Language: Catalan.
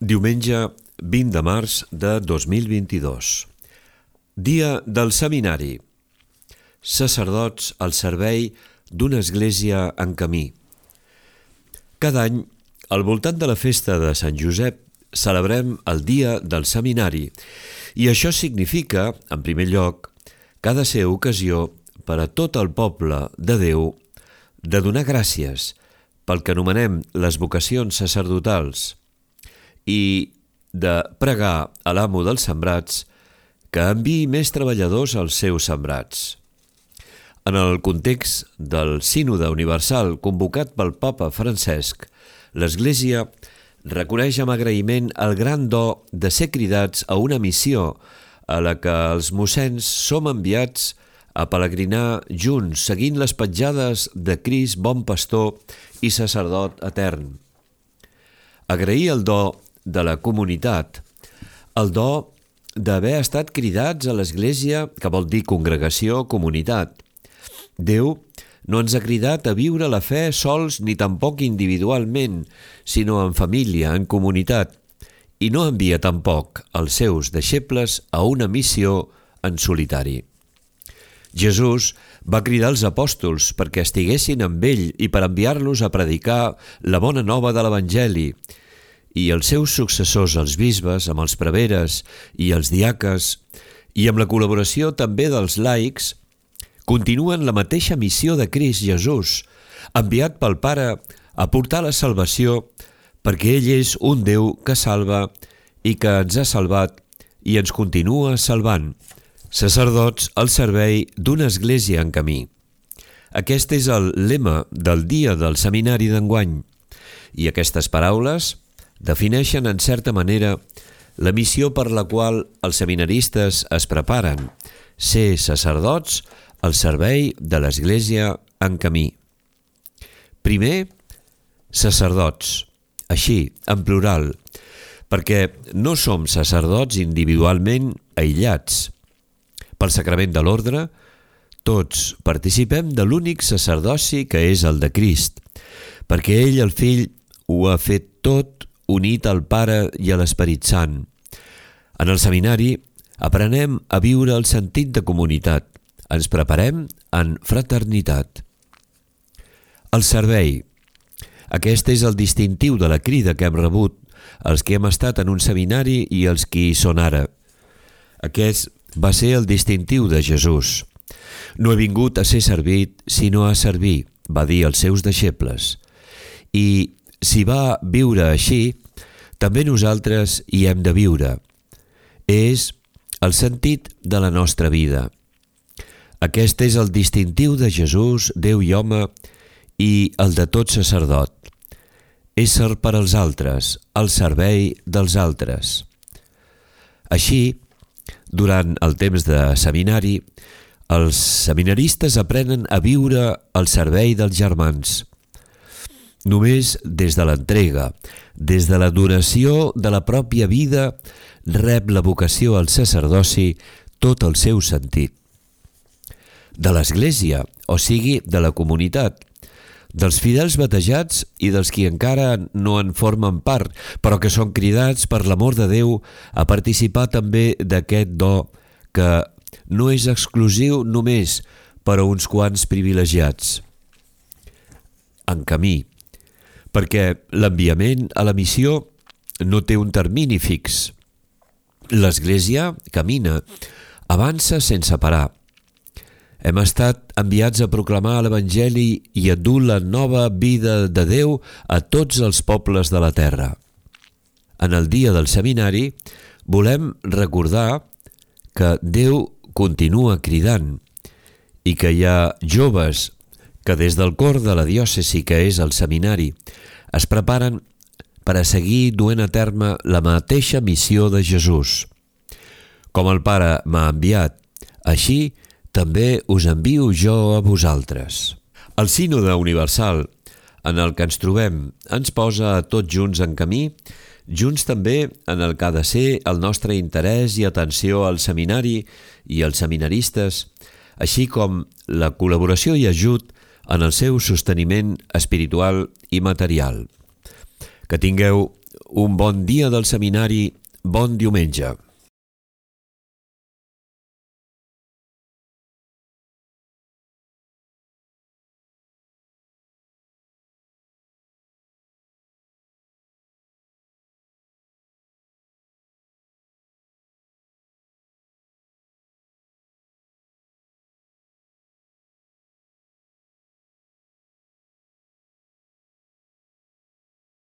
Diumenge 20 de març de 2022. Dia del Seminari. Sacerdots al servei d'una església en camí. Cada any, al voltant de la festa de Sant Josep, celebrem el Dia del Seminari i això significa, en primer lloc, que ha de ser ocasió per a tot el poble de Déu de donar gràcies pel que anomenem les vocacions sacerdotals i de pregar a l'amo dels sembrats que enviï més treballadors als seus sembrats. En el context del Sínode Universal convocat pel Papa Francesc, l'Església reconeix amb agraïment el gran do de ser cridats a una missió a la que els mossens som enviats a pelegrinar junts, seguint les petjades de Crist, bon pastor i sacerdot etern. Agrair el do de la comunitat, el do d'haver estat cridats a l'Església, que vol dir congregació, comunitat. Déu no ens ha cridat a viure la fe sols ni tampoc individualment, sinó en família, en comunitat, i no envia tampoc els seus deixebles a una missió en solitari. Jesús va cridar els apòstols perquè estiguessin amb ell i per enviar-los a predicar la bona nova de l'Evangeli, i els seus successors, els bisbes, amb els preveres i els diaques, i amb la col·laboració també dels laics, continuen la mateixa missió de Crist Jesús, enviat pel Pare a portar la salvació perquè ell és un Déu que salva i que ens ha salvat i ens continua salvant. Sacerdots al servei d'una església en camí. Aquest és el lema del dia del seminari d'enguany, i aquestes paraules defineixen en certa manera la missió per la qual els seminaristes es preparen, ser sacerdots al servei de l'Església en camí. Primer, sacerdots, així, en plural, perquè no som sacerdots individualment aïllats. Pel sacrament de l'ordre, tots participem de l'únic sacerdoci que és el de Crist, perquè ell, el Fill, ho ha fet tot unit al Pare i a l'Esperit Sant. En el seminari aprenem a viure el sentit de comunitat, ens preparem en fraternitat. El servei. Aquest és el distintiu de la crida que hem rebut, els que hem estat en un seminari i els que hi són ara. Aquest va ser el distintiu de Jesús. No he vingut a ser servit, sinó a servir, va dir als seus deixebles. I si va viure així, també nosaltres hi hem de viure. És el sentit de la nostra vida. Aquest és el distintiu de Jesús, Déu i home, i el de tot sacerdot. Ésser per als altres, al servei dels altres. Així, durant el temps de seminari, els seminaristes aprenen a viure al servei dels germans. Només des de l'entrega, des de la donació de la pròpia vida, rep la vocació al sacerdoci tot el seu sentit. De l'Església, o sigui, de la comunitat, dels fidels batejats i dels qui encara no en formen part, però que són cridats per l'amor de Déu a participar també d'aquest do que no és exclusiu només per a uns quants privilegiats. En camí, perquè l'enviament a la missió no té un termini fix. L'Església camina, avança sense parar. Hem estat enviats a proclamar l'Evangeli i a dur la nova vida de Déu a tots els pobles de la terra. En el dia del seminari volem recordar que Déu continua cridant i que hi ha joves que des del cor de la diòcesi que és el seminari es preparen per a seguir duent a terme la mateixa missió de Jesús. Com el Pare m'ha enviat, així també us envio jo a vosaltres. El Sínode Universal en el que ens trobem ens posa a tots junts en camí, junts també en el que ha de ser el nostre interès i atenció al seminari i als seminaristes, així com la col·laboració i ajut en el seu sosteniment espiritual i material. Que tingueu Un bon dia del seminari, bon diumenge.